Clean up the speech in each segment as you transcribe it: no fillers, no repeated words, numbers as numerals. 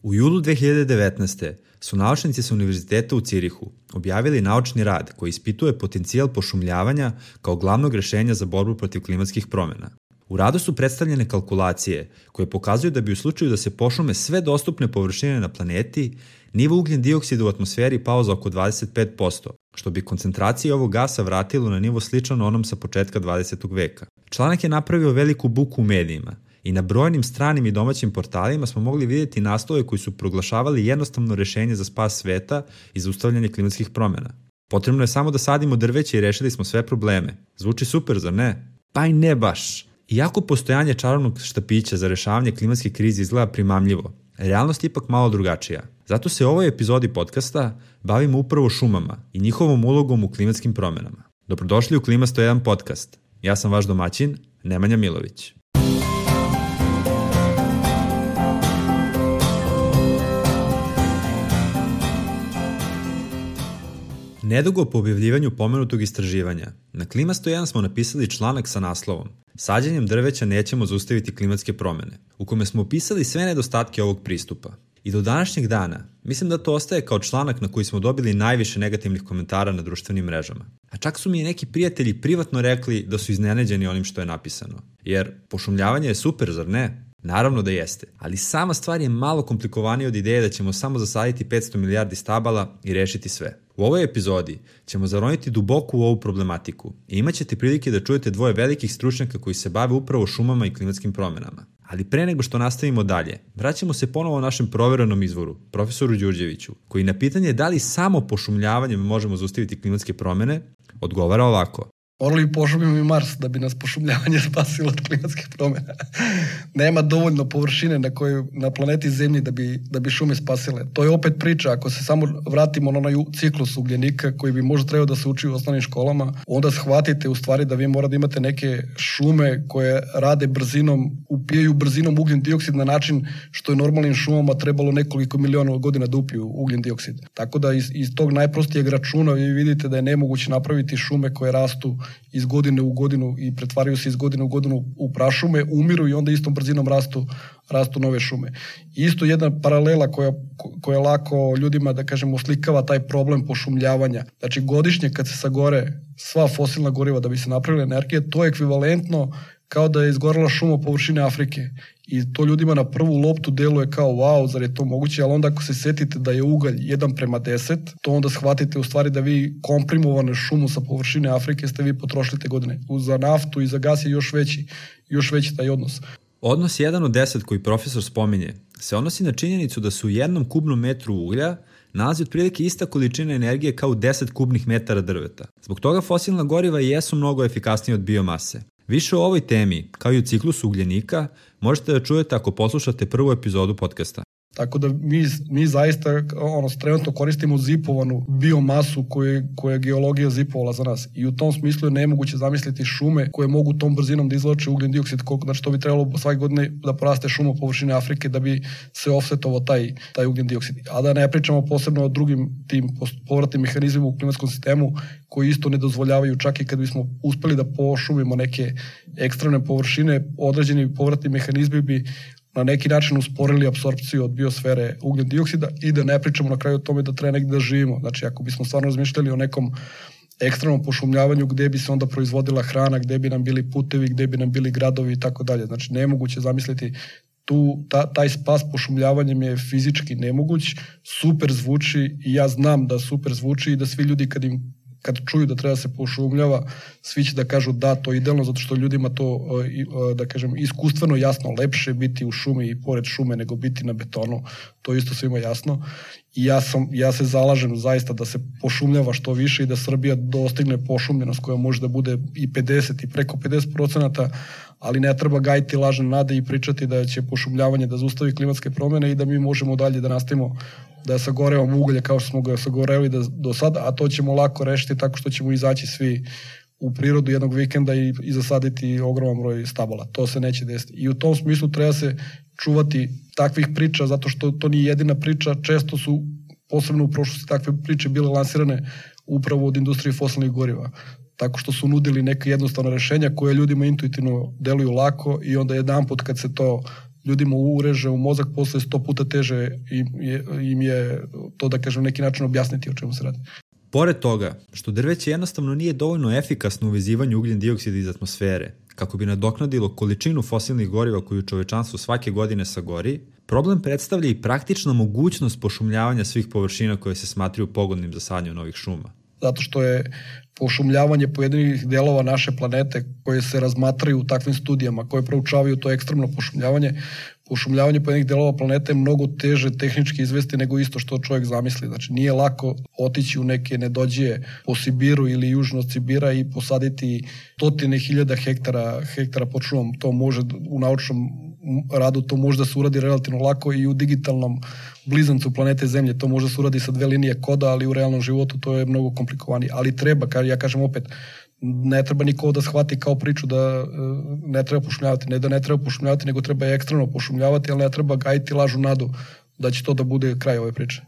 U julu 2019. su naučnici sa Univerziteta u Cirihu objavili naučni rad koji ispituje potencijal pošumljavanja kao glavnog rešenja za borbu protiv klimatskih promjena. U radu su predstavljene kalkulacije koje pokazuju da bi u slučaju da se pošume sve dostupne površine na planeti, nivo ugljen dioksida u atmosferi pao za oko 25%, što bi koncentracije ovog gasa vratilo na nivo sličan onom sa početka 20. veka. Članak je napravio veliku buku u medijima i na brojnim stranim i domaćim portalima smo mogli vidjeti naslove koji su proglašavali jednostavno rešenje za spas sveta i zaustavljanje klimatskih promjena. Potrebno je samo da sadimo drveće i rešili smo sve probleme. Zvuči super, zar ne? Pa i ne baš. Iako postojanje čarobnog štapića za rešavanje klimatske krize izgleda primamljivo, realnost je ipak malo drugačija. Zato se u ovoj epizodi podcasta bavimo upravo šumama i njihovom ulogom u klimatskim promjenama. Dobrodošli u Klima 101 podcast. Ja sam vaš domaćin, Nemanja Milović. Nedugo po objavljivanju pomenutog istraživanja, na Klima 101 smo napisali članak sa naslovom "Sađenjem drveća nećemo zaustaviti klimatske promjene", u kome smo opisali sve nedostatke ovog pristupa. I do današnjeg dana, mislim da to ostaje kao članak na koji smo dobili najviše negativnih komentara na društvenim mrežama. A čak su mi neki prijatelji privatno rekli da su iznenađeni onim što je napisano. Jer pošumljavanje je super, zar ne? Naravno da jeste, ali sama stvar je malo komplikovanija od ideje da ćemo samo zasaditi 500 milijardi stabala i rešiti sve. U ovoj epizodi ćemo zaroniti duboko u ovu problematiku i imat ćete prilike da čujete dvoje velikih stručnjaka koji se bave upravo šumama i klimatskim promjenama. Ali pre nego što nastavimo dalje, vraćamo se ponovo našem proverenom izvoru, profesoru Đurđeviću, koji na pitanje da li samo pošumljavanjem možemo zaustaviti klimatske promjene, odgovara ovako. Morali bi pošumimo i Mars da bi nas pošumljavanje spasilo od klimatskih promjena. Nema dovoljno površine na planeti Zemlji da bi šume spasile. To je opet priča, ako se samo vratimo na onaj ciklus ugljenika koji bi možda trebao da se uči u osnovnim školama, onda shvatite u stvari da vi morate da imate neke šume koje rade brzinom, upijaju brzinom ugljen dioksid na način što je normalnim šumama trebalo nekoliko miliona godina da upiju ugljen dioksid. Tako da iz tog najprostijeg računa vi vidite da je nemoguće napraviti šume koje rastu iz godine u godinu i pretvaraju se iz godine u godinu u prašume, umiru i onda istom brzinom rastu nove šume. Isto jedna paralela koja lako ljudima, da kažemo, oslikava taj problem pošumljavanja. Znači godišnje kad se sagore sva fosilna goriva da bi se napravila energija, to je ekvivalentno kao da je izgorela šuma površine Afrike. I to ljudima na prvu loptu deluje kao wow, zar je to moguće, ali onda ako se setite da je ugalj 1:10, to onda shvatite u stvari da vi komprimovane šumu sa površine Afrike ste vi potrošili te godine. Za naftu i za gas je još veći taj odnos. Odnos 1:10 koji profesor spominje se odnosi na činjenicu da se u 1 kubnom metru uglja nalazi otprilike ista količina energije kao 10 kubnih metara drveta. Zbog toga fosilna goriva jesu mnogo efikasnije od biomase. Više o ovoj temi, kao i o ciklusu ugljenika, možete da čujete ako poslušate prvu epizodu podcasta. Tako da mi zaista trenutno koristimo zipovanu biomasu koju je geologija zipovala za nas. I u tom smislu je nemoguće zamisliti šume koje mogu tom brzinom da izvlače ugljen dioksid. Znači to bi trebalo svake godine da poraste šuma površine Afrike da bi se offsetovao taj ugljen dioksid. A da ne pričamo posebno o drugim tim povratnim mehanizmima u klimatskom sistemu koji isto ne dozvoljavaju, čak i kad bismo uspeli da pošumimo neke ekstremne površine, određeni povratni mehanizmi bi na neki način usporili apsorpciju od biosfere ugljen dioksida i da ne pričamo na kraju o tome da treba negdje da živimo. Znači, ako bismo stvarno razmišljali o nekom ekstremnom pošumljavanju gdje bi se onda proizvodila hrana, gdje bi nam bili putevi, gdje bi nam bili gradovi i tako dalje. Znači, nemoguće zamisliti taj spas pošumljavanjem je fizički nemoguć, super zvuči i ja znam da super zvuči i da svi ljudi kad čuju da treba se pošumljava, svi će da kažu da, to je idealno, zato što ljudima to, da kažem, iskustveno jasno, lepše biti u šumi i pored šume nego biti na betonu, to isto svima jasno. I ja se zalažem zaista da se pošumljava što više i da Srbija dostigne pošumljenost koja može da bude i 50 i preko 50%, ali ne treba gajiti lažne nade i pričati da će pošumljavanje da zaustavi klimatske promjene i da mi možemo dalje da nastavimo da sagorevamo uglje kao što smo ga sagoreli do sada, a to ćemo lako rešiti tako što ćemo izaći svi u prirodu jednog vikenda i zasaditi ogroman broj stabala. To se neće desiti. I u tom smislu treba se čuvati takvih priča, zato što to nije jedina priča. Često su, posebno u prošlosti, takve priče bile lansirane upravo od industrije fosilnih goriva. Tako što su nudili neke jednostavne rešenja koje ljudima intuitivno deluju lako i onda jedanput kad se to ljudima ureže u mozak, posle 100 puta teže im je to, da kažem, neki način objasniti o čemu se radi. Pored toga, što drveće jednostavno nije dovoljno efikasno u vezivanju ugljen dioksida iz atmosfere, kako bi nadoknadilo količinu fosilnih goriva koju čovečanstvo svake godine sagori, problem predstavlja i praktična mogućnost pošumljavanja svih površina koje se smatraju pogodnim za sadnju novih šuma. Zato što je pošumljavanje pojedinih delova naše planete koje se razmatraju u takvim studijama, koje proučavaju to ekstremno pošumljavanje pojedinih delova planete je mnogo teže tehnički izvesti nego isto što čovjek zamisli. Znači nije lako otići u neke nedođije po Sibiru ili južno od Sibira i posaditi stotine hiljada hektara pod šumom. To može u naučnom radu, to može da se uradi relativno lako i u digitalnom blizancu planete Zemlje. To može da se uradi sa 2 linije koda, ali u realnom životu to je mnogo komplikovanije. Ali treba, ja kažem opet, ne treba niko da shvati kao priču da ne treba pošumljavati. Ne da ne treba pošumljavati, nego treba ekstremno pošumljavati, ali ne treba gajiti lažu nadu da će to da bude kraj ove priče.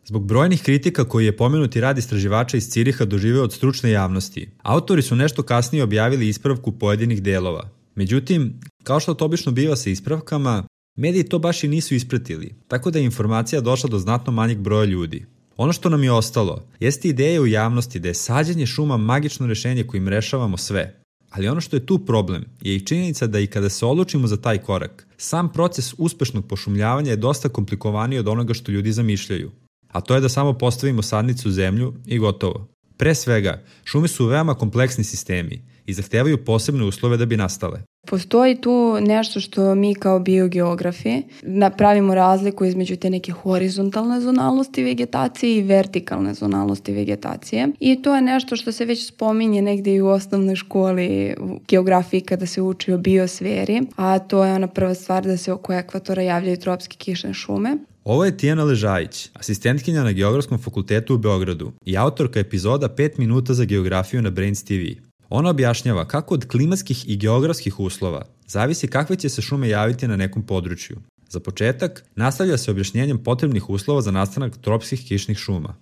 Zbog brojnih kritika koji je pomenuti rad istraživača iz Ciriha doživeo od stručne javnosti, autori su nešto kasnije objavili ispravku pojedinih delova. Međutim, kao što to obično biva sa ispravkama, mediji to baš i nisu ispratili, tako da je informacija došla do znatno manjeg broja ljudi. Ono što nam je ostalo jeste ideja u javnosti da je sađenje šuma magično rešenje kojim rešavamo sve. Ali ono što je tu problem je i činjenica da i kada se odlučimo za taj korak, sam proces uspešnog pošumljavanja je dosta komplikovaniji od onoga što ljudi zamišljaju. A to je da samo postavimo sadnicu u zemlju i gotovo. Pre svega, šume su veoma kompleksni sistemi i zahtevaju posebne uslove da bi nastale. Postoji tu nešto što mi kao biogeografi napravimo razliku između te neke horizontalne zonalnosti vegetacije i vertikalne zonalnosti vegetacije. I to je nešto što se već spominje negdje i u osnovnoj školi u geografiji kada se uči o biosferi, a to je ona prva stvar da se oko ekvatora javljaju tropske kišne šume. Ovo je Tijana Ležajić, asistentkinja na Geografskom fakultetu u Beogradu i autorka epizoda 5 minuta za geografiju na Brains TV. Ona objašnjava kako od klimatskih i geografskih uslova zavisi kakve će se šume javiti na nekom području. Za početak, nastavlja se objašnjenjem potrebnih uslova za nastanak tropskih kišnih šuma.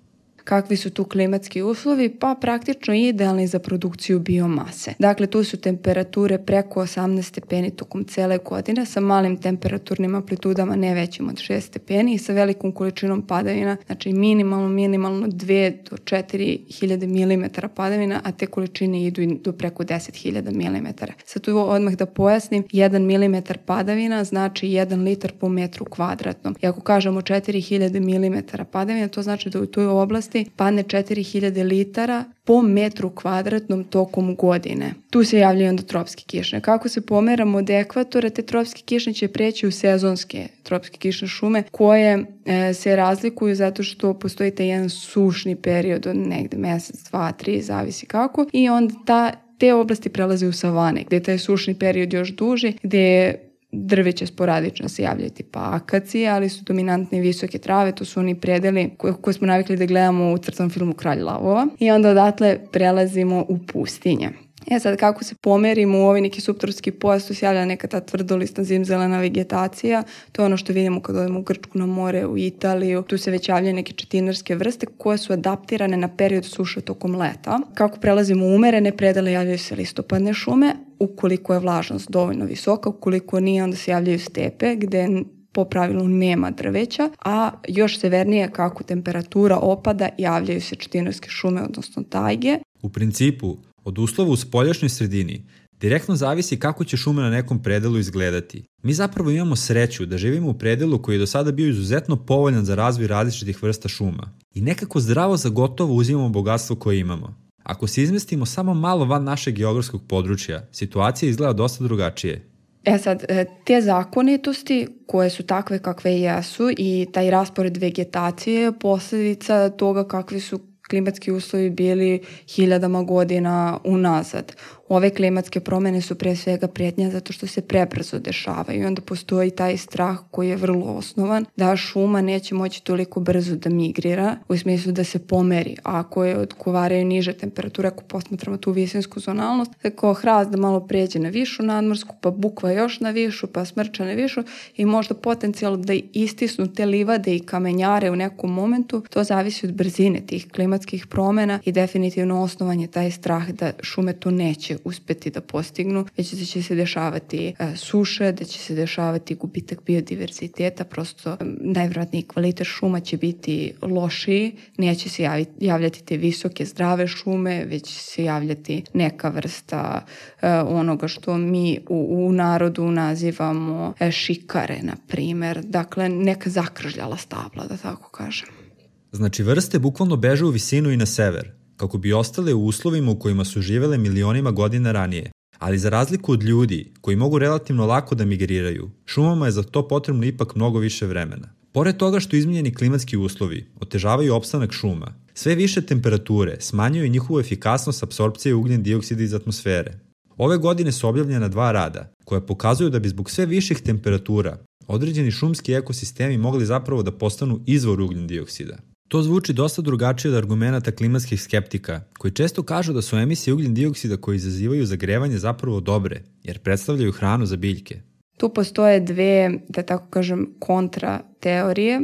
Kakvi su tu klimatski uslovi? Pa praktično idealni za produkciju biomase. Dakle, tu su temperature preko 18 stepeni tokom cele godine sa malim temperaturnim amplitudama ne većim od 6 stepeni i sa velikom količinom padavina, znači minimalno 2 do 4.000 mm padavina, a te količine idu do preko 10.000 mm. Sad tu odmah da pojasnim, 1 mm padavina znači 1 litar po metru kvadratnom. I ako kažemo 4.000 mm padavina, to znači da u toj oblasti padne 4.000 litara po metru kvadratnom tokom godine. Tu se javljaju onda tropske kišne. Kako se pomeramo od ekvatora, te tropske kišne će preći u sezonske tropske kišne šume koje se razlikuju zato što postoji taj jedan sušni period od negde mesec, 2, 3, zavisi kako, i onda te oblasti prelaze u savane, gde je taj sušni period još duži, gde je drveće sporadično se javljaju tipa akacije, ali su dominantne visoke trave, to su oni predeli koje smo navikli da gledamo u crtanom filmu Kralj lavova, i onda odatle prelazimo u pustinje. Sad kako se pomerimo u ovaj neki subtropski pojas, tu se javlja neka ta tvrdolistna zimzelena vegetacija, to je ono što vidimo kad odemo u Grčku na more, u Italiju, tu se već javljaju neke četinarske vrste koje su adaptirane na period suše tokom leta. Kako prelazimo u umerene predele, javljaju se listopadne šume, ukoliko je vlažnost dovoljno visoka, ukoliko nije, onda se javljaju stepe gde po pravilu nema drveća, a još severnije kako temperatura opada, javljaju se četinarske šume, odnosno tajge. U principu, od uslova u spoljašnjoj sredini direktno zavisi kako će šuma na nekom predelu izgledati. Mi zapravo imamo sreću da živimo u predelu koji je do sada bio izuzetno povoljan za razvoj različitih vrsta šuma i nekako zdravo za gotovo uzimamo bogatstvo koje imamo. Ako se izmestimo samo malo van našeg geografskog područja, situacija izgleda dosta drugačije. Sad, te zakonitosti koje su takve kakve jesu i taj raspored vegetacije je posljedica toga kakvi su klimatski uslovi bili hiljadama godina unazad. Ove klimatske promjene su pre svega prijetnja zato što se prebrzo dešavaju i onda postoji taj strah koji je vrlo osnovan da šuma neće moći toliko brzo da migrira, u smislu da se pomeri. A ako je odgovaraju niže temperature, ako posmatramo tu visinsku zonalnost, tako hrast da malo pređe na višu nadmorsku, pa bukva još na višu, pa smrča na višu i možda potencijalno da istisnu te livade i kamenjare u nekom momentu, to zavisi od brzine tih klimatskih promjena i definitivno osnovan je taj strah da šume to neće neće uspeti da postignu, već da će se dešavati suše, da će se dešavati gubitak biodiverziteta, prosto najvjerojatniji kvalitet šuma će biti lošiji, neće se javljati te visoke zdrave šume, već će se javljati neka vrsta onoga što mi u narodu nazivamo šikare, na primjer. Dakle, neka zakržljala stabla, da tako kažem. Znači, vrste bukvalno beže u visinu i na sever, kako bi ostale u uslovima u kojima su živele milionima godina ranije. Ali za razliku od ljudi, koji mogu relativno lako da migriraju, šumama je za to potrebno ipak mnogo više vremena. Pored toga što izmenjeni klimatski uslovi otežavaju opstanak šuma, sve više temperature smanjuju njihovu efikasnost apsorpcije ugljen dioksida iz atmosfere. Ove godine su objavljena 2 rada, koja pokazuju da bi zbog sve viših temperatura određeni šumski ekosistemi mogli zapravo da postanu izvor ugljen dioksida. To zvuči dosta drugačije od argumenata klimatskih skeptika, koji često kažu da su emisije ugljen dioksida koje izazivaju zagrevanje zapravo dobre, jer predstavljaju hranu za biljke. Tu postoje 2, da tako kažem, kontra teorije.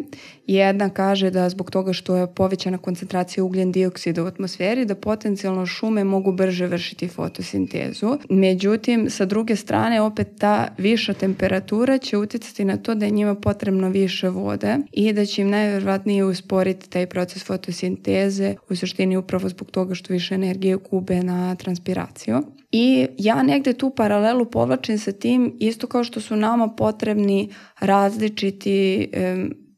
Jedna kaže da zbog toga što je povećana koncentracija ugljen dioksida u atmosferi, da potencijalno šume mogu brže vršiti fotosintezu. Međutim, sa druge strane, opet ta viša temperatura će uticati na to da je njima potrebno više vode i da će im najvjerojatnije usporiti taj proces fotosinteze, u suštini upravo zbog toga što više energije gube na transpiraciju. I ja negde tu paralelu povlačim sa tim, isto kao što su nama potrebni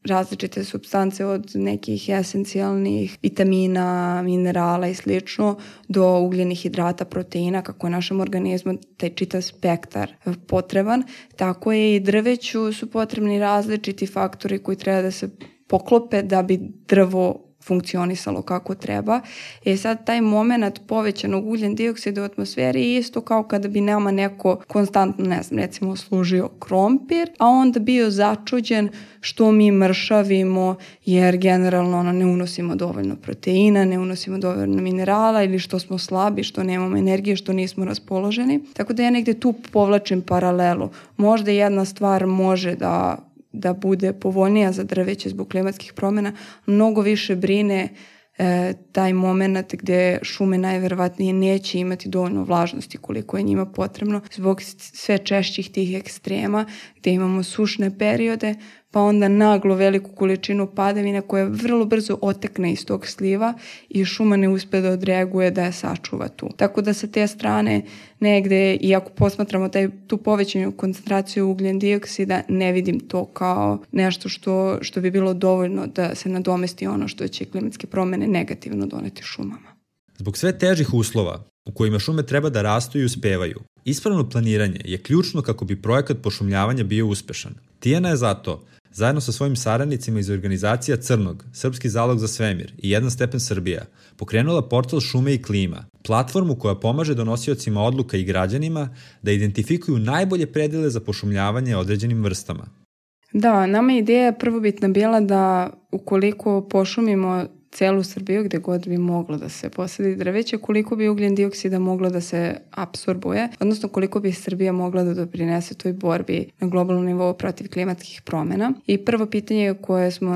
različite supstance od nekih esencijalnih vitamina, minerala i slično, do ugljenih hidrata, proteina, kako je našem organizmu taj čitav spektar potreban. Tako je i drveću su potrebni različiti faktori koji treba da se poklope da bi drvo funkcionisalo kako treba. Sad taj moment povećanog ugljen dioksida u atmosferi je isto kao kada bi nama neko konstantno, ne znam, recimo služio krompir, a onda bio začuđen što mi mršavimo jer generalno ne unosimo dovoljno proteina, ne unosimo dovoljno minerala ili što smo slabi, što nemamo energije, što nismo raspoloženi. Tako da ja negde tu povlačim paralelu. Možda jedna stvar može da bude povoljnija za drveće zbog klimatskih promjena, mnogo više brine taj moment gdje šume najverovatnije neće imati dovoljno vlažnosti koliko je njima potrebno zbog sve češćih tih ekstrema gdje imamo sušne periode, pa onda naglo veliku količinu padavine koja vrlo brzo otekne iz tog sliva i šuma ne uspe da odreaguje da je sačuva tu. Tako da sa te strane negde, i ako posmatramo tu povećanju koncentraciju ugljen dioksida, ne vidim to kao nešto što bi bilo dovoljno da se nadomesti ono što će klimatske promjene negativno doneti šumama. Zbog sve težih uslova u kojima šume treba da rastu i uspevaju, ispravno planiranje je ključno kako bi projekat pošumljavanja bio uspešan. Tijana je zato, zajedno sa svojim saradnicima iz organizacija Crnog, Srpski zalog za svemir i Jedan stepen Srbija, pokrenula portal Šume i klima, platformu koja pomaže donosiocima odluka i građanima da identifikuju najbolje predele za pošumljavanje određenim vrstama. Da, nama je ideja prvobitna bila da ukoliko pošumimo celu Srbiju gde god bi moglo da se posadi drveće, koliko bi ugljen dioksida moglo da se apsorbuje, odnosno koliko bi Srbija mogla da doprinese toj borbi na globalnom nivou protiv klimatskih promjena. I prvo pitanje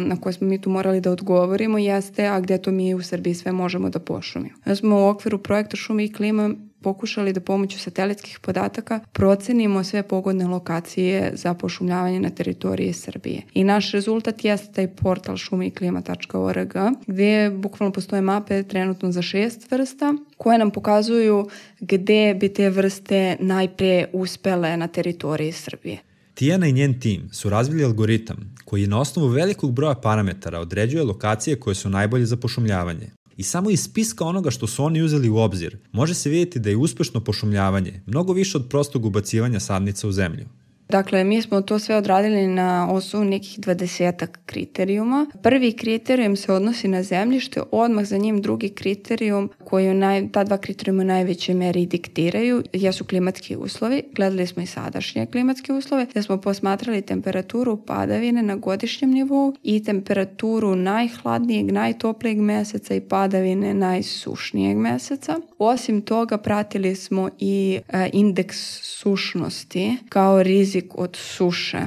na koje smo mi tu morali da odgovorimo jeste, a gde to mi u Srbiji sve možemo da pošumimo. Mi smo u okviru projekta Šume i klima pokušali da pomoću satelitskih podataka procenimo sve pogodne lokacije za pošumljavanje na teritoriji Srbije. I naš rezultat jeste taj portal šumeiklima.org gdje bukvalno postoje mape trenutno za 6 vrsta koje nam pokazuju gde bi te vrste najpre uspele na teritoriji Srbije. Tijana i njen tim su razvili algoritam koji na osnovu velikog broja parametara određuje lokacije koje su najbolje za pošumljavanje. I samo iz spiska onoga što su oni uzeli u obzir, može se vidjeti da je uspešno pošumljavanje mnogo više od prostog ubacivanja sadnica u zemlju. Dakle, mi smo to sve odradili na osnovu nekih 20 kriterijuma. Prvi kriterijum se odnosi na zemljište, odmah za njim drugi kriterijum koji ta 2 kriterijuma u najvećoj meri diktiraju jesu klimatski uslovi. Gledali smo i sadašnje klimatske uslove, gdje smo posmatrali temperaturu padavine na godišnjem nivou i temperaturu najhladnijeg, najtoplijeg meseca i padavine najsušnijeg meseca. Osim toga, pratili smo i indeks sušnosti kao rizik od suše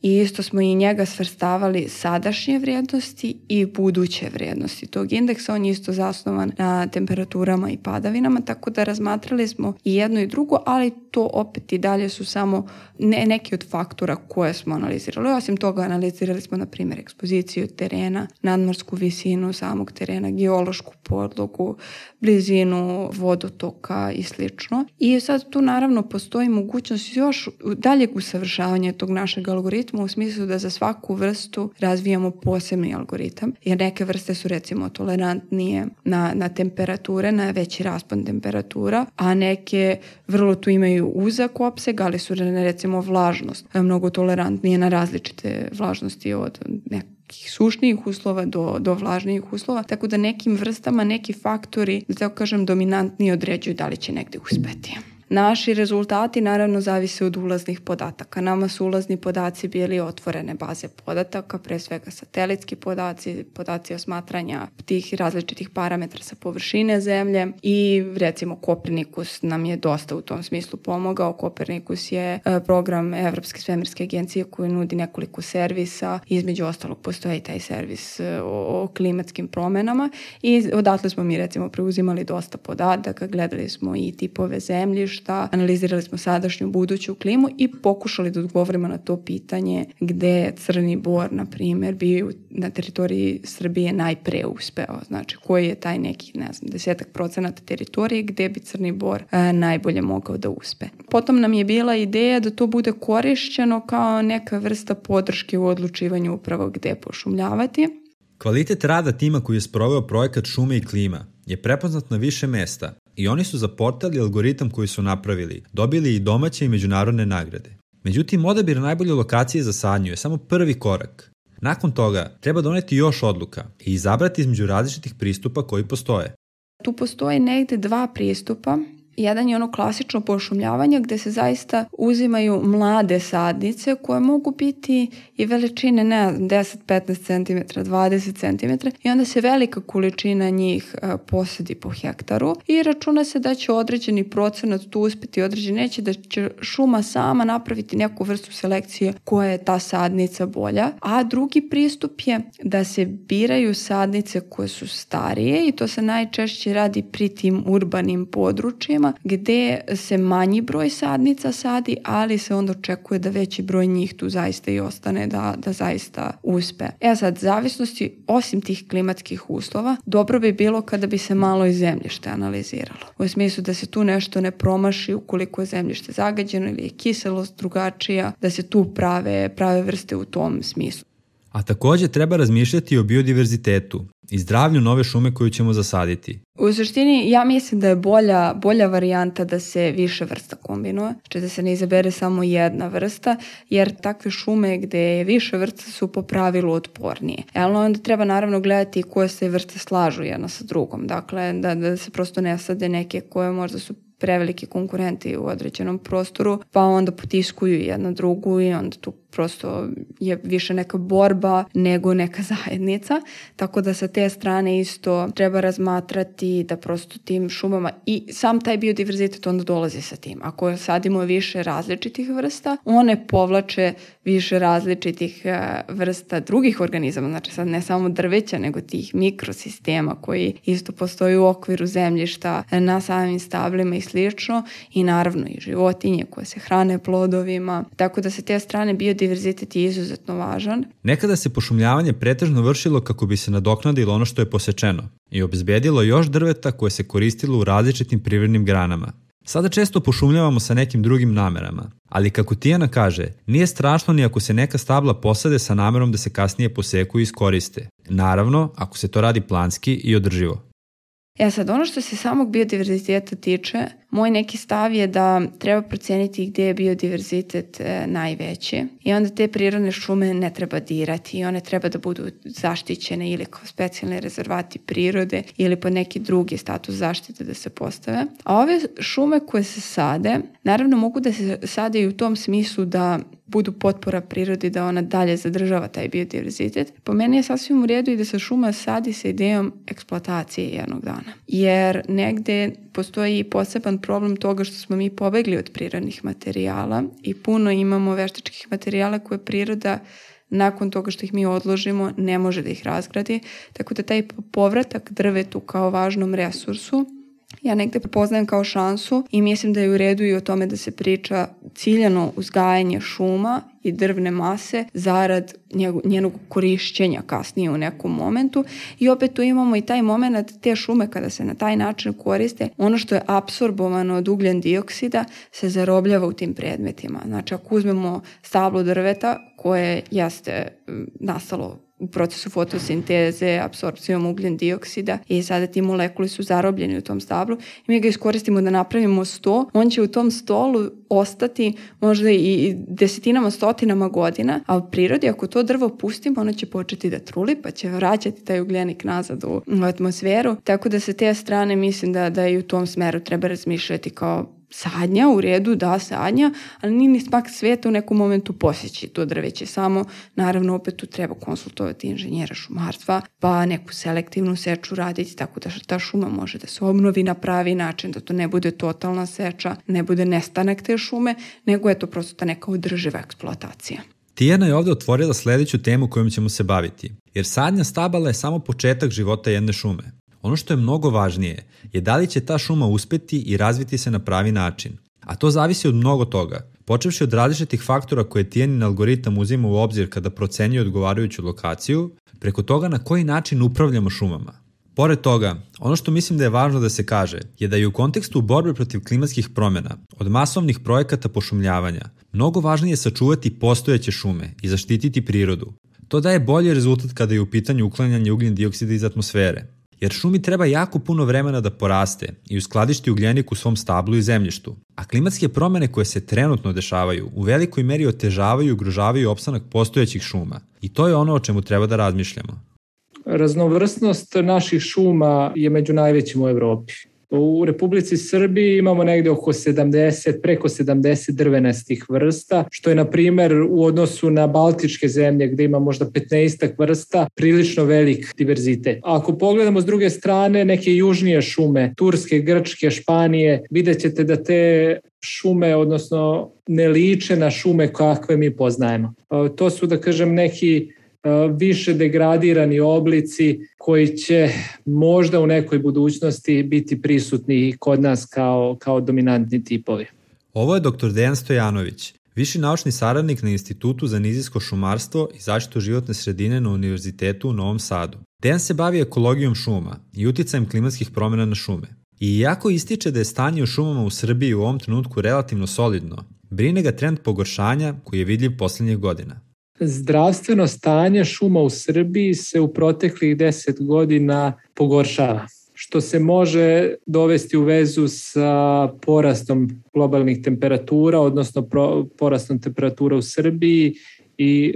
i isto smo i njega svrstavali sadašnje vrijednosti i buduće vrijednosti tog indeksa. On je isto zasnovan na temperaturama i padavinama, tako da razmatrali smo i jedno i drugo, ali to opet i dalje su samo neki od faktora koje smo analizirali. Osim toga analizirali smo na primjer ekspoziciju terena, nadmorsku visinu samog terena, geološku podlogu, blizinu vodotoka i slično. I sad tu naravno postoji mogućnost još daljeg usavršavanja tog našeg algoritma u smislu da za svaku vrstu razvijamo posebni algoritam, jer neke vrste su recimo tolerantnije na temperature, na veći raspon temperatura, a neke vrlo tu imaju uzak opseg, ali su recimo vlažnost mnogo tolerantnije na različite vlažnosti od nekih sušnijih uslova do vlažnijih uslova, tako da nekim vrstama neki faktori, da tako kažem, dominantniji određuju da li će negde uspeti. Naši rezultati naravno zavise od ulaznih podataka. Nama su ulazni podaci bili otvorene baze podataka, pre svega satelitski podaci osmatranja tih različitih parametra sa površine zemlje i recimo Kopernikus nam je dosta u tom smislu pomogao. Kopernikus je program Evropske svemirske agencije koji nudi nekoliko servisa, između ostalog postoji taj servis o klimatskim promenama i odatle smo mi recimo preuzimali dosta podataka, gledali smo i tipove zemljišta, analizirali smo sadašnju, buduću klimu i pokušali da odgovorimo na to pitanje gde je Crni Bor, na primjer, bio na teritoriji Srbije najpre uspeo. Znači, koji je taj neki, 10% teritorije gde bi Crni Bor najbolje mogao da uspe. Potom nam je bila ideja da to bude korišćeno kao neka vrsta podrške u odlučivanju upravo gde pošumljavati. Kvalitet rada tima koji je sproveo projekat Šume i klima je prepoznat na više mesta i oni su za portal i algoritam koji su napravili dobili i domaće i međunarodne nagrade. Međutim, odabir najbolje lokacije za sadnju je samo prvi korak. Nakon toga treba doneti još odluka i izabrati između različitih pristupa koji postoje. Tu postoji negde dva pristupa. Jedan je ono klasično pošumljavanje gde se zaista uzimaju mlade sadnice koje mogu biti i veličine 10-15 cm, 20 cm i onda se velika količina njih posadi po hektaru i računa se da će određeni procenat tu uspeti, određeni neće, da će šuma sama napraviti neku vrstu selekcije koja je ta sadnica bolja. A drugi pristup je da se biraju sadnice koje su starije i to se najčešće radi pri tim urbanim područjima gde se manji broj sadnica sadi, ali se onda očekuje da veći broj njih tu zaista i ostane da zaista uspe. Sad, zavisnosti osim tih klimatskih uslova, dobro bi bilo kada bi se malo i zemljište analiziralo. U smislu da se tu nešto ne promaši ukoliko je zemljište zagađeno ili je kiselost drugačija, da se tu prave vrste u tom smislu. A takođe treba razmišljati o biodiverzitetu i zdravlju nove šume koju ćemo zasaditi. U suštini, ja mislim da je bolja varijanta da se više vrsta kombinuje, znači da se ne izabere samo jedna vrsta, jer takve šume gde je više vrsta su po pravilu otpornije. Ali onda treba naravno gledati koje se vrste slažu jedna sa drugom, dakle da se prosto ne sade neke koje možda su preveliki konkurenti u određenom prostoru, pa onda potiskuju jedna drugu i onda tu prosto je više neka borba nego neka zajednica, tako da sa te strane isto treba razmatrati da prosto tim šumama i sam taj biodiverzitet onda dolazi sa tim. Ako sadimo više različitih vrsta, one povlače više različitih vrsta drugih organizama, znači sad ne samo drveća, nego tih mikrosistema koji isto postoji u okviru zemljišta na samim stablima i slično i naravno i životinje koje se hrane plodovima, tako da sa te strane biodiverzitet je izuzetno važan. Nekada se pošumljavanje pretežno vršilo kako bi se nadoknadilo ono što je posečeno i obezbedilo još drveta koje se koristilo u različitim privrednim granama. Sada često pošumljavamo sa nekim drugim namerama, ali kako Tijana kaže, nije strašno ni ako se neka stabla posade sa namerom da se kasnije poseku i iskoriste. Naravno, ako se to radi planski i održivo. Sad, ono što se samog biodiverziteta tiče, moj neki stav je da treba proceniti gdje je biodiverzitet najveći i onda te prirodne šume ne treba dirati i one treba da budu zaštićene ili kao specijalni rezervati prirode ili pod neki drugi status zaštite da se postave. A ove šume koje se sade, naravno mogu da se sade i u tom smislu da budu potpora prirodi, da ona dalje zadržava taj biodiverzitet. Po meni je sasvim u redu i da se šuma sadi sa idejom eksploatacije jednog dana. Jer negde postoji i poseban problem toga što smo mi pobegli od prirodnih materijala i puno imamo veštačkih materijala koje priroda nakon toga što ih mi odložimo ne može da ih razgradi, tako da taj povratak drvetu kao važnom resursu ja negde prepoznajem kao šansu i mislim da je u redu i o tome da se priča ciljano uzgajanje šuma i drvne mase zarad njenog korišćenja kasnije u nekom momentu. I opet tu imamo i taj moment te šume kada se na taj način koriste, ono što je apsorbovano od ugljen dioksida se zarobljava u tim predmetima. Znači ako uzmemo stablo drveta koje jeste nastalo u procesu fotosinteze, apsorpcijom ugljen dioksida i sada ti molekuli su zarobljeni u tom stablu i mi ga iskoristimo da napravimo sto, on će u tom stolu ostati možda i desetinama, stotinama godina, a u prirodi ako to drvo pustimo, ono će početi da truli pa će vraćati taj ugljenik nazad u atmosferu, tako da sa te strane mislim da i u tom smeru treba razmišljati kao sadnja, u redu, da, sadnja, ali nije ni smak sveta u nekom momentu posjeći to drveće. Samo, naravno, opet tu treba konsultovati inženjera šumarstva, pa neku selektivnu seču raditi, tako da ta šuma može da se obnovi na pravi način, da to ne bude totalna seča, ne bude nestanak te šume, nego je to prosto ta neka održiva eksploatacija. Tijana je ovde otvorila sledeću temu kojom ćemo se baviti, jer sadnja stabala je samo početak života jedne šume. Ono što je mnogo važnije je da li će ta šuma uspeti i razviti se na pravi način. A to zavisi od mnogo toga, počevši od različitih faktora koje Tijanin algoritam uzima u obzir kada procenjuje odgovarajuću lokaciju, preko toga na koji način upravljamo šumama. Pored toga, ono što mislim da je važno da se kaže je da je u kontekstu borbe protiv klimatskih promjena, od masovnih projekata pošumljavanja, mnogo važnije sačuvati postojeće šume i zaštititi prirodu. To daje bolji rezultat kada je u pitanju uklanjanje ugljen dioksida iz atmosfere. Jer šumi treba jako puno vremena da poraste i uskladišti ugljenik u svom stablu i zemljištu. A klimatske promjene koje se trenutno dešavaju u velikoj meri otežavaju i ugrožavaju opstanak postojećih šuma. I to je ono o čemu treba da razmišljamo. Raznovrsnost naših šuma je među najvećim u Evropi. U Republici Srbiji imamo negde preko 70 drvenastih vrsta, što je na primer u odnosu na baltičke zemlje gde ima možda 15 vrsta prilično velik diverzitet. Ako pogledamo s druge strane neke južnije šume, Turske, Grčke, Španije, vidjet ćete da te šume, odnosno ne liče na šume kakve mi poznajemo. To su, da kažem, neki više degradirani oblici koji će možda u nekoj budućnosti biti prisutni kod nas kao dominantni tipovi. Ovo je dr. Dejan Stojanović, viši naučni saradnik na Institutu za nizijsko šumarstvo i zaštitu životne sredine na Univerzitetu u Novom Sadu. Dejan se bavi ekologijom šuma i uticajem klimatskih promjena na šume. I iako ističe da je stanje u šumama u Srbiji u ovom trenutku relativno solidno, brine ga trend pogoršanja koji je vidljiv posljednjih godina. Zdravstveno stanje šuma u Srbiji se u proteklih 10 godina pogoršava, što se može dovesti u vezu sa porastom globalnih temperatura, odnosno porastom temperatura u Srbiji i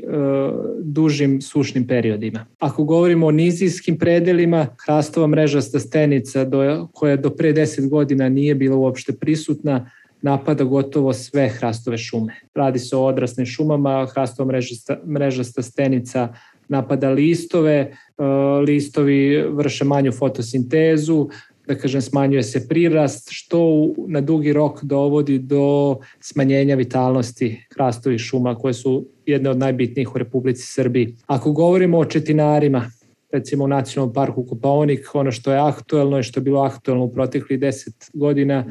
dužim sušnim periodima. Ako govorimo o nizijskim predelima, hrastova mrežasta stenica koja do pre 10 godina nije bila uopšte prisutna, napada gotovo sve hrastove šume. Radi se o odraslim šumama, hrastova mrežasta stenica napada listove, listovi vrše manju fotosintezu, da kažem smanjuje se prirast, što na dugi rok dovodi do smanjenja vitalnosti hrastovih šuma koje su jedne od najbitnijih u Republici Srbiji. Ako govorimo o četinarima, recimo u Nacionalnom parku Kopaonik, ono što je aktuelno i što je bilo aktuelno u proteklih 10 godina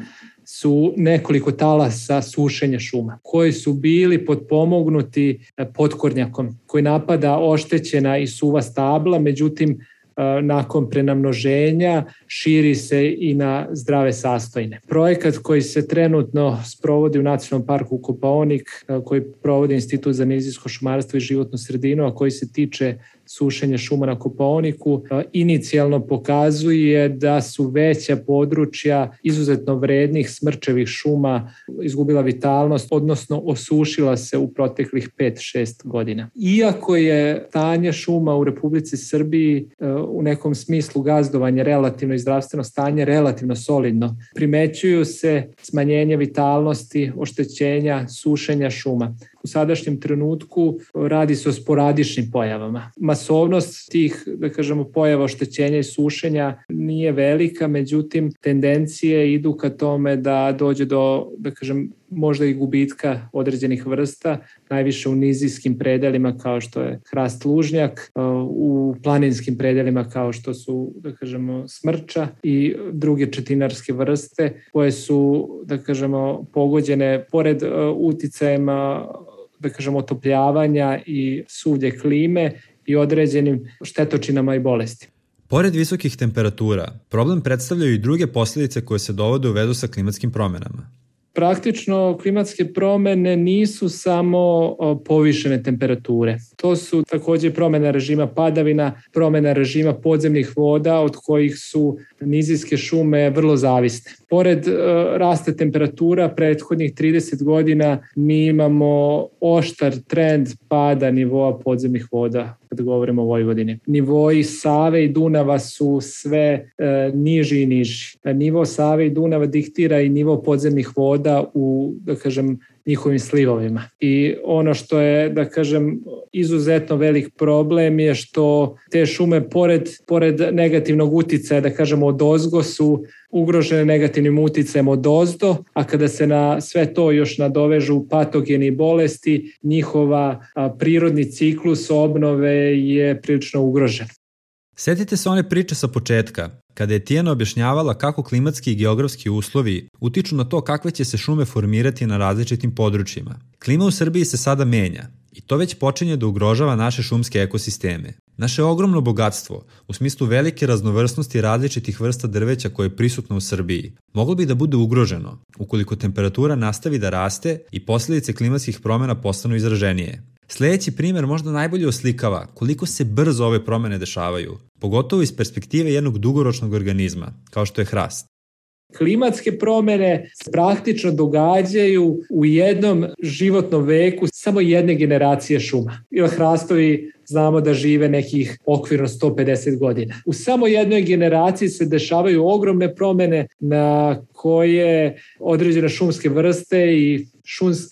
su nekoliko talasa sušenja šuma koji su bili potpomognuti potkornjakom koji napada oštećena i suva stabla, međutim nakon prenamnoženja širi se i na zdrave sastojine. Projekat koji se trenutno sprovodi u Nacionalnom parku Kopaonik, koji provodi Institut za nizijsko šumarstvo i životnu sredinu, a koji se tiče sušenja šuma na Kopaoniku, inicijalno pokazuje da su veća područja izuzetno vrednih smrčevih šuma izgubila vitalnost, odnosno osušila se u proteklih 5-6 godina. Iako je stanje šuma u Republici Srbiji u nekom smislu gazdovanja relativno i zdravstveno stanje relativno solidno, primećuju se smanjenje vitalnosti, oštećenja, sušenja šuma. u sadašnjem trenutku radi se o sporadičnim pojavama. Masovnost tih, da kažemo, pojava oštećenja i sušenja nije velika, međutim tendencije idu ka tome da dođe do, da kažem, možda i gubitka određenih vrsta, najviše u nizijskim predelima kao što je hrast lužnjak, u planinskim predelima kao što su, da kažemo, smrča i druge četinarske vrste koje su, da kažemo, pogođene pored uticajima, da kažemo, otopljavanja i suvlje klime i određenim štetočinama i bolesti. Pored visokih temperatura, problem predstavljaju i druge posljedice koje se dovode u vezu sa klimatskim promenama. Praktično klimatske promene nisu samo povišene temperature. To su također promjena režima padavina, promjena režima podzemnih voda od kojih su nizijske šume vrlo zavisne. Pored rasta temperatura prethodnih 30 godina mi imamo oštar trend pada nivoa podzemnih voda kad govorimo o Vojvodini. Nivoji Save i Dunava su sve niži i niži. Nivo Save i Dunava diktira i nivo podzemnih voda u, da kažem, njihovim slivovima. I ono što je, da kažem, izuzetno velik problem je što te šume pored negativnog uticaja, da kažemo, odozgo su ugrožene negativnim uticajem odozdo, a kada se na sve to još nadovežu patogeni bolesti, njihova prirodni ciklus obnove je prilično ugrožen. Sjetite se one priče sa početka, kada je Tijana objašnjavala kako klimatski i geografski uslovi utiču na to kakve će se šume formirati na različitim područjima. Klima u Srbiji se sada menja i to već počinje da ugrožava naše šumske ekosisteme. Naše ogromno bogatstvo, u smislu velike raznovrsnosti različitih vrsta drveća koje je prisutno u Srbiji, moglo bi da bude ugroženo ukoliko temperatura nastavi da raste i posljedice klimatskih promjena postanu izraženije. Sljedeći primjer možda najbolje oslikava koliko se brzo ove promjene dešavaju, pogotovo iz perspektive jednog dugoročnog organizma, kao što je hrast. Klimatske promjene se praktično događaju u jednom životnom veku samo jedne generacije šuma. Ili hrastovi znamo da žive nekih okvirno 150 godina. U samo jednoj generaciji se dešavaju ogromne promjene na koje određene šumske vrste i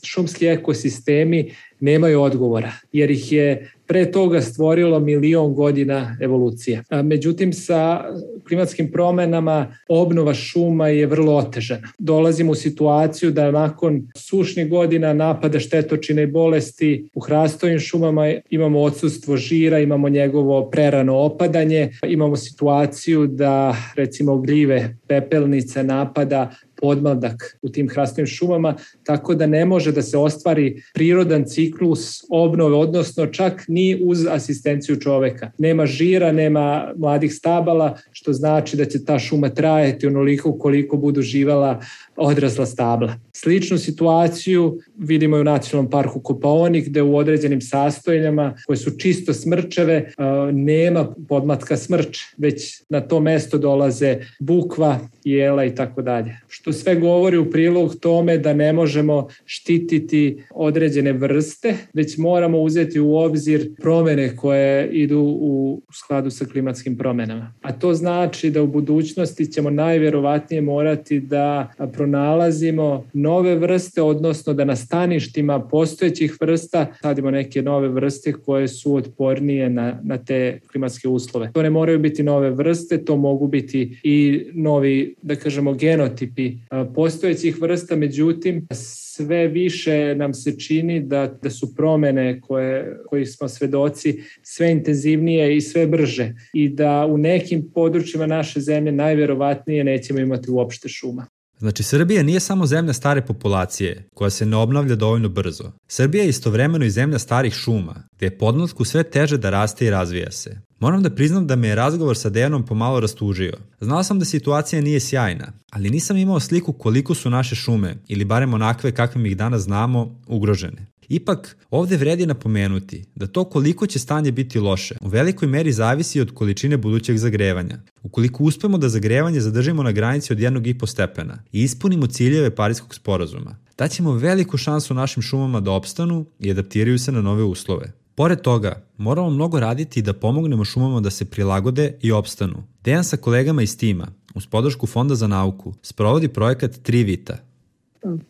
šumski ekosistemi nemaju odgovora, jer ih je pre toga stvorilo 1.000.000 godina evolucije. Međutim, sa klimatskim promjenama obnova šuma je vrlo otežana. Dolazimo u situaciju da nakon sušnih godina napada štetočine i bolesti u hrastovim šumama imamo odsustvo žira, imamo njegovo prerano opadanje, imamo situaciju da recimo gljive, pepelnice napada podmladak u tim hrastovim šumama, tako da ne može da se ostvari prirodan ciklus obnove, odnosno čak ni uz asistenciju čoveka. Nema žira, nema mladih stabala, što znači da će ta šuma trajati onoliko koliko budu živala odrasla stabla. Sličnu situaciju vidimo i u Nacionalnom parku Kopaonik, gde u određenim sastojinama koje su čisto smrčeve nema podmlatka smrče, već na to mesto dolaze bukva, jela i tako dalje. Što sve govori u prilog tome da ne možemo štititi određene vrste, već moramo uzeti u obzir promjene koje idu u skladu sa klimatskim promjenama. A to znači da u budućnosti ćemo najvjerovatnije morati da pronalazimo nove vrste, odnosno da na staništima postojećih vrsta sadimo neke nove vrste koje su otpornije na te klimatske uslove. To ne moraju biti nove vrste, to mogu biti i novi, da kažemo, genotipi postojećih vrsta, međutim sve više nam se čini da su promjene kojih smo svedoci sve intenzivnije i sve brže i da u nekim područjima naše zemlje najvjerovatnije nećemo imati uopšte šuma. Znači, Srbija nije samo zemlja stare populacije, koja se ne obnavlja dovoljno brzo. Srbija je istovremeno i zemlja starih šuma, gde je podmlatku sve teže da raste i razvija se. Moram da priznam da me je razgovor sa Dejanom pomalo rastužio. Znao sam da situacija nije sjajna, ali nisam imao sliku koliko su naše šume, ili barem onakve kakvim ih danas znamo, ugrožene. Ipak, ovdje vredi napomenuti da to koliko će stanje biti loše u velikoj meri zavisi od količine budućeg zagrevanja. Ukoliko uspemo da zagrevanje zadržimo na granici od 1,5 stepena i ispunimo ciljeve Pariskog sporazuma, daćemo veliku šansu našim šumama da opstanu i adaptiraju se na nove uslove. Pored toga, moramo mnogo raditi da pomognemo šumama da se prilagode i opstanu. Dejan sa kolegama iz tima, uz podršku Fonda za nauku, sprovodi projekat 3 Vita.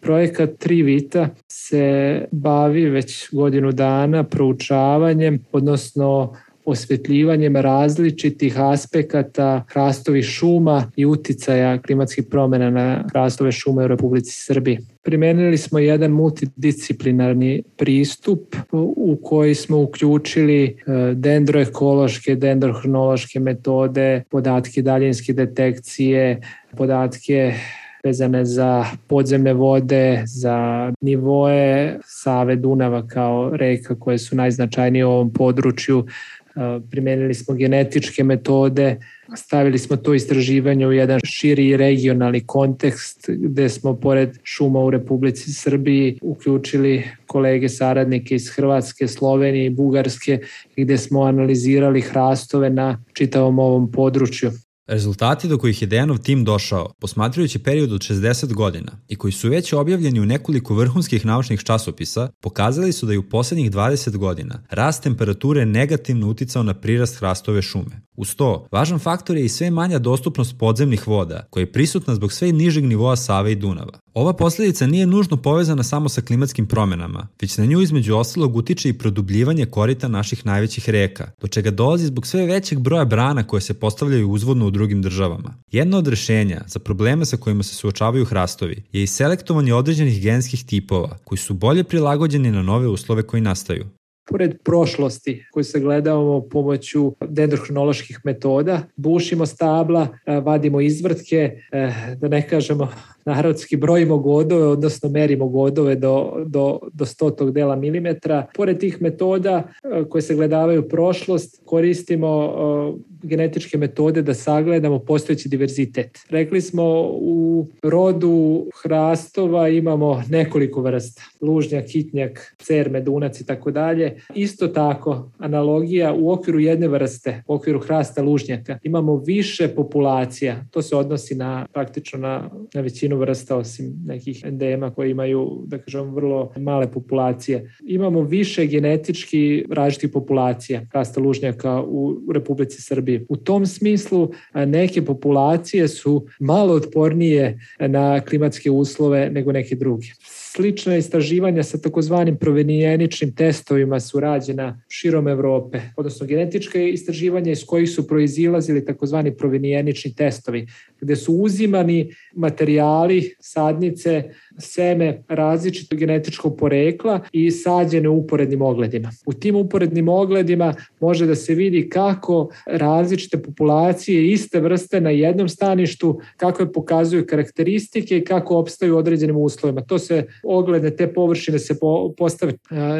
Projekat Trivita se bavi već godinu dana proučavanjem, odnosno osvetljivanjem različitih aspekata hrastovih šuma i uticaja klimatskih promjena na hrastove šume u Republici Srbiji. Primenili smo jedan multidisciplinarni pristup u koji smo uključili dendroekološke, dendrohronološke metode, podatke daljinske detekcije, podatke vezane za podzemne vode, za nivoe Save, Dunava kao reka koje su najznačajnije u ovom području. Primenili smo genetičke metode, stavili smo to istraživanje u jedan širi regionalni kontekst gde smo pored šuma u Republici Srbiji uključili kolege saradnike iz Hrvatske, Slovenije i Bugarske gde smo analizirali hrastove na čitavom ovom području. Rezultati do kojih je Dejanov tim došao, posmatrajući period od 60 godina i koji su već objavljeni u nekoliko vrhunskih naučnih časopisa, pokazali su da je u poslednjih 20 godina rast temperature negativno uticao na prirast hrastove šume. Uz to, važan faktor je i sve manja dostupnost podzemnih voda, koja je prisutna zbog sve nižeg nivoa Save i Dunava. Ova posledica nije nužno povezana samo sa klimatskim promjenama, već na nju između ostalog utiče i produbljivanje korita naših najvećih reka, do čega dolazi zbog sve većeg broja brana koje se postavljaju uzvodno u drugim državama. Jedno od rešenja za probleme sa kojima se suočavaju hrastovi je i selektovanje određenih genskih tipova koji su bolje prilagođeni na nove uslove koji nastaju. Pored prošlosti koju sagledavamo pomoću dendrohronoloških metoda, bušimo stabla, vadimo izvrtke, da ne kažemo narodski brojimo godove, odnosno merimo godove do 100 dela milimetra. Pored tih metoda koje sagledavaju prošlost, koristimo genetičke metode da sagledamo postojeći diverzitet. Rekli smo u rodu hrastova imamo nekoliko vrsta. Lužnjak, kitnjak, cer, medunac i tako dalje. Isto tako, analogija u okviru jedne vrste, u okviru hrasta lužnjaka, imamo više populacija. To se odnosi praktično na većinu vrsta, osim nekih endema koji imaju, da kažem, vrlo male populacije. Imamo više genetički različitih populacija hrasta lužnjaka u Republici Srbiji. U tom smislu neke populacije su malo otpornije na klimatske uslove nego neke druge. Slična istraživanja sa takozvanim provenijeničnim testovima su rađena širom Evrope, odnosno genetičke istraživanja iz kojih su proizilazili takozvani provenijenični testovi, gde su uzimani materijali, sadnice, seme različitog genetičkog porekla i sađene u uporednim ogledima. U tim uporednim ogledima može da se vidi kako različite populacije iste vrste na jednom staništu, kako je pokazuju karakteristike i kako opstaju u određenim uslovima. To se oglede, te površine se postave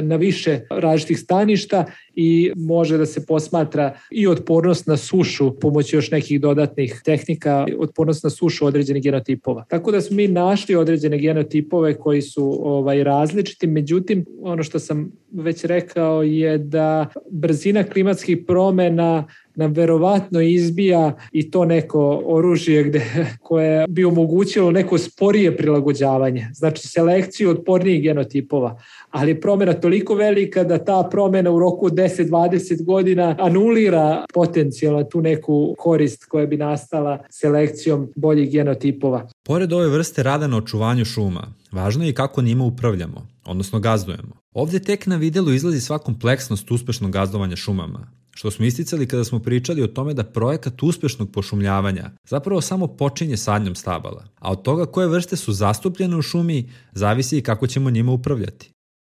na više različitih staništa i može da se posmatra i otpornost na sušu pomoću još nekih dodatnih tehnika, otpornost na sušu određenih genotipova. Tako da smo mi našli određene genotipove koji su različiti, međutim ono što sam već rekao je da brzina klimatskih promjena nam verovatno izbija i to neko oružje koje bi omogućilo neko sporije prilagođavanje, znači selekciju otpornijih genotipova, ali je promjena toliko velika da ta promjena u roku 10-20 godina anulira potencijalno tu neku korist koja bi nastala selekcijom boljih genotipova. Pored ove vrste rada na očuvanju šuma, važno je i kako njima upravljamo, odnosno gazdujemo. Ovdje tek na videlu izlazi sva kompleksnost uspešnog gazdovanja šumama, što smo isticali kada smo pričali o tome da projekat uspešnog pošumljavanja zapravo samo počinje sadnjom stabala, a od toga koje vrste su zastupljene u šumi zavisi i kako ćemo njima upravljati.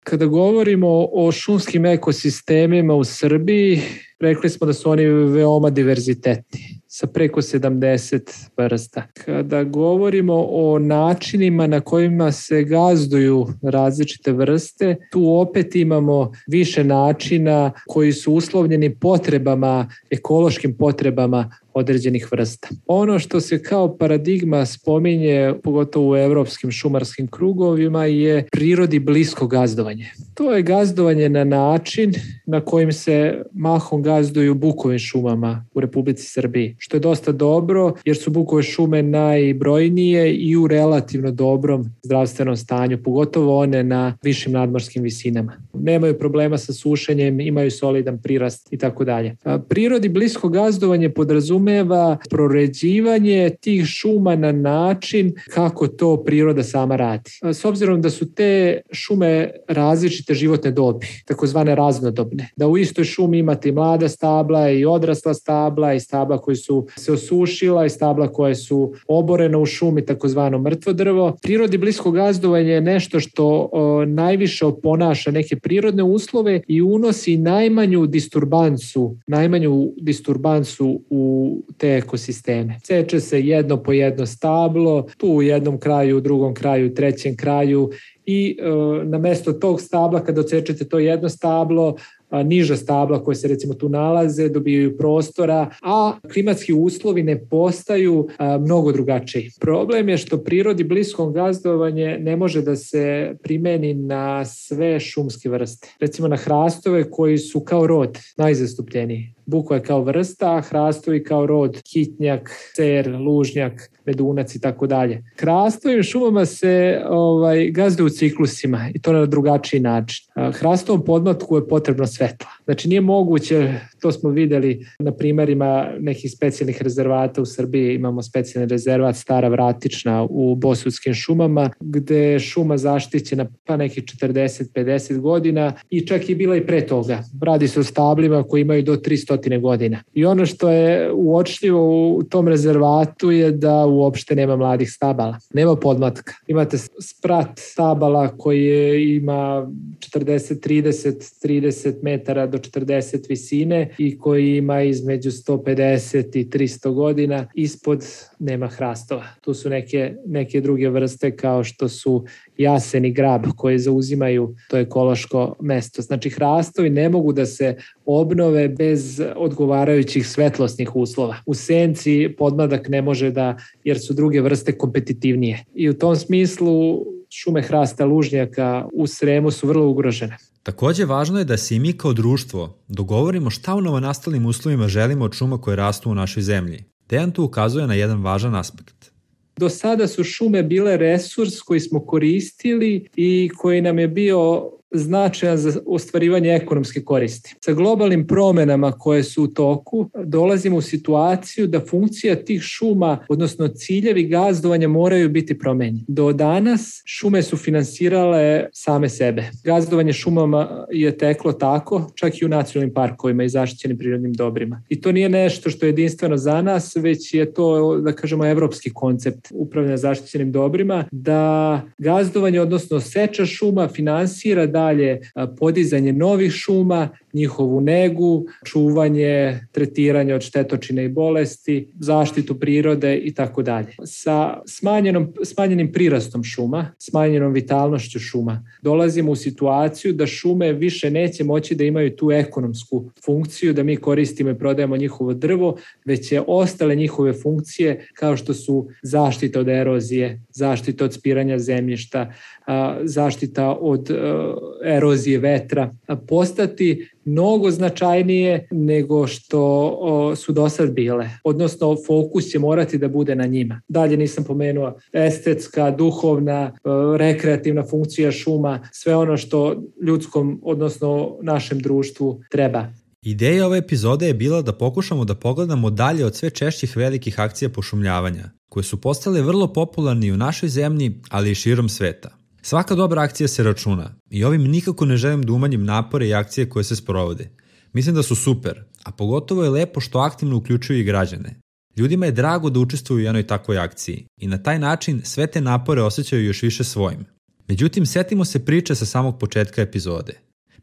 Kada govorimo o šumskim ekosistemima u Srbiji, rekli smo da su oni veoma diverzitetni, sa preko 70 vrsta. Kada govorimo o načinima na kojima se gazduju različite vrste, tu opet imamo više načina koji su uslovljeni potrebama, ekološkim potrebama određenih vrsta. Ono što se kao paradigma spominje, pogotovo u evropskim šumarskim krugovima, je prirodi blisko gazdovanje. To je gazdovanje na način na kojim se mahom gazduju bukovim šumama u Republici Srbiji, što je dosta dobro jer su bukove šume najbrojnije i u relativno dobrom zdravstvenom stanju, pogotovo one na višim nadmorskim visinama. Nemaju problema sa sušenjem, imaju solidan prirast i tako dalje. Prirodi blisko gazdovanje podrazumeva podrazumeva proređivanje tih šuma na način kako to priroda sama radi. S obzirom da su te šume različite životne dobi, takozvane raznodobne, da u istoj šumi imate i mlada stabla i odrasla stabla i stabla koji su se osušila i stabla koje su oborena u šumi, takozvano mrtvo drvo. Prirodi blisko gazdovanje je nešto što najviše oponaša neke prirodne uslove i unosi najmanju disturbansu u te ekosisteme. Seče se jedno po jedno stablo, tu u jednom kraju, u drugom kraju, trećem kraju i na mesto tog stabla kada odsečete to jedno stablo, niža stabla koje se recimo tu nalaze dobijaju prostora, a klimatski uslovi ne postaju mnogo drugačiji. Problem je što prirodi bliskom gazdovanje ne može da se primeni na sve šumske vrste. Recimo na hrastove koji su kao rod najzastupljeniji. Bukva je kao vrsta, a hrastovi kao rod, hitnjak, cer, lužnjak, medunac i tako dalje. Hrastovim šumama se gazduju ciklusima i to na drugačiji način. Hrastovom podmlatku je potrebno svetla. Znači nije moguće, to smo videli na primerima nekih specijalnih rezervata u Srbiji, imamo specijalni rezervat Stara Vratična u Bosudskim šumama, gde je šuma zaštićena pa nekih 40-50 godina i čak i bila i pre toga. Radi se o stablima koji imaju do 300 godina. I ono što je uočljivo u tom rezervatu je da uopšte nema mladih stabala. Nema podmlatka. Imate sprat stabala koji ima 30 metara do 40 visine i koji ima između 150 i 300 godina. Ispod nema hrastova. Tu su neke druge vrste kao što su jasen i grab koje zauzimaju to ekološko mesto. Znači hrastovi ne mogu da se obnove bez odgovarajućih svetlosnih uslova. U senci podmladak ne može jer su druge vrste kompetitivnije. I u tom smislu šume hrasta lužnjaka u Sremu su vrlo ugrožene. Takođe, važno je da se i mi kao društvo dogovorimo šta u novonastalim uslovima želimo od šuma koje rastu u našoj zemlji. Dejan tu ukazuje na jedan važan aspekt. Do sada su šume bile resurs koji smo koristili i koji nam je bio značajan za ostvarivanje ekonomske koristi. Sa globalnim promenama koje su u toku, dolazimo u situaciju da funkcija tih šuma, odnosno ciljevi gazdovanja moraju biti promenjeni. Do danas šume su finansirale same sebe. Gazdovanje šumama je teklo tako, čak i u nacionalnim parkovima i zaštićenim prirodnim dobrima. I to nije nešto što je jedinstveno za nas, već je to, da kažemo, evropski koncept upravljanja zaštićenim dobrima, da gazdovanje, odnosno seča šuma finansira dalje podizanje novih šuma, njihovu negu, čuvanje, tretiranje od štetočine i bolesti, zaštitu prirode i tako dalje. Sa smanjenim prirastom šuma, smanjenom vitalnošću šuma, dolazimo u situaciju da šume više neće moći da imaju tu ekonomsku funkciju, da mi koristimo i prodajemo njihovo drvo, već će ostale njihove funkcije kao što su zaštita od erozije, zaštita od spiranja zemljišta, zaštita od erozije vetra, postati mnogo značajnije nego što su do sad bile. Odnosno, fokus će morati da bude na njima. Dalje nisam pomenuo estetska, duhovna, rekreativna funkcija šuma, sve ono što ljudskom, odnosno našem društvu treba. Ideja ove epizode je bila da pokušamo da pogledamo dalje od sve češćih velikih akcija pošumljavanja, koje su postale vrlo popularni u našoj zemlji, ali i širom sveta. Svaka dobra akcija se računa i ovim nikako ne želim da umanjim napore i akcije koje se sprovode. Mislim da su super, a pogotovo je lepo što aktivno uključuju i građane. Ljudima je drago da učestvuju u jednoj takvoj akciji i na taj način sve te napore osjećaju još više svojim. Međutim, setimo se priče sa samog početka epizode.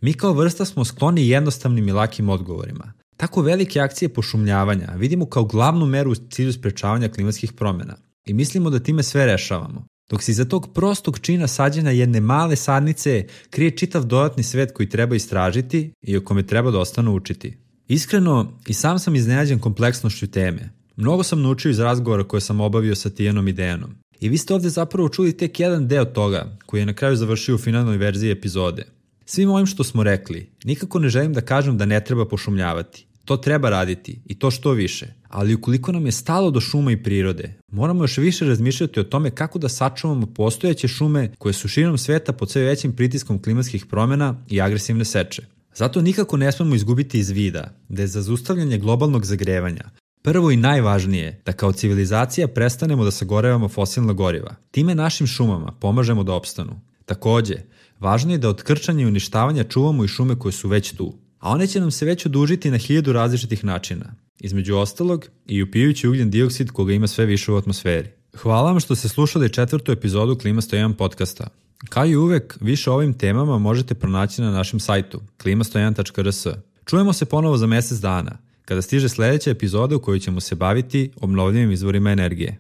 Mi kao vrsta smo skloni jednostavnim i lakim odgovorima. Tako velike akcije pošumljavanja vidimo kao glavnu meru u cilju sprečavanja klimatskih promjena i mislimo da time sve rešavamo. Dok se iza tog prostog čina sađenja jedne male sadnice krije čitav dodatni svet koji treba istražiti i o kome treba dosta učiti. Iskreno, i sam sam iznenađen kompleksnošću teme. Mnogo sam naučio iz razgovora koje sam obavio sa Tijanom i Dejanom. I vi ste ovde zapravo čuli tek jedan deo toga koji je na kraju završio u finalnoj verziji epizode. Svim ovim što smo rekli, nikako ne želim da kažem da ne treba pošumljavati. To treba raditi i to što više. Ali ukoliko nam je stalo do šuma i prirode, moramo još više razmišljati o tome kako da sačuvamo postojeće šume koje su širom sveta pod sve većim pritiskom klimatskih promjena i agresivne seče. Zato nikako ne smemo izgubiti iz vida da je za zaustavljanje globalnog zagrevanja Prvo i najvažnije je da kao civilizacija prestanemo da sagorevamo fosilna goriva. Time našim šumama pomažemo da opstanu. Takođe, važno je da od krčanja i uništavanja čuvamo i šume koje su već tu. A one će nam se već odužiti na 1000 različitih načina. Između ostalog i upijući ugljen dioksid koga ima sve više u atmosferi. Hvala vam što ste slušali 4. epizodu Klima 101 podcasta. Kao i uvek, više o ovim temama možete pronaći na našem sajtu klima101.rs. Čujemo se ponovo za mesec dana, kada stiže sledeća epizoda u kojoj ćemo se baviti obnovljivim izvorima energije.